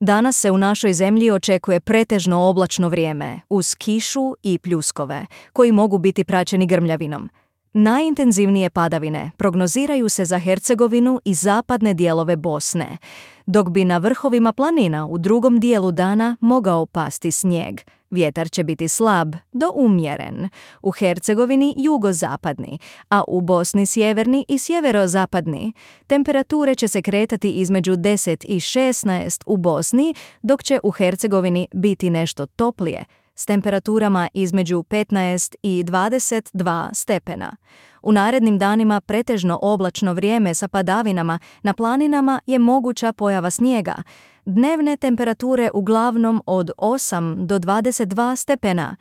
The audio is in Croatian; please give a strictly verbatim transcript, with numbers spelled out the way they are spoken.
Danas se u našoj zemlji očekuje pretežno oblačno vrijeme, uz kišu i pljuskove, koji mogu biti praćeni grmljavinom. Najintenzivnije padavine prognoziraju se za Hercegovinu i zapadne dijelove Bosne, dok bi na vrhovima planina u drugom dijelu dana mogao pasti snijeg. Vjetar će biti slab do umjeren, u Hercegovini jugozapadni, a u Bosni sjeverni i sjeverozapadni. Temperature će se kretati između deset i šesnaest u Bosni, dok će u Hercegovini biti nešto toplije, s temperaturama između petnaest i dvadeset dva stepena. U narednim danima pretežno oblačno vrijeme sa padavinama, na planinama je moguća pojava snijega. Dnevne temperature uglavnom od osam do dvadeset dva stepena,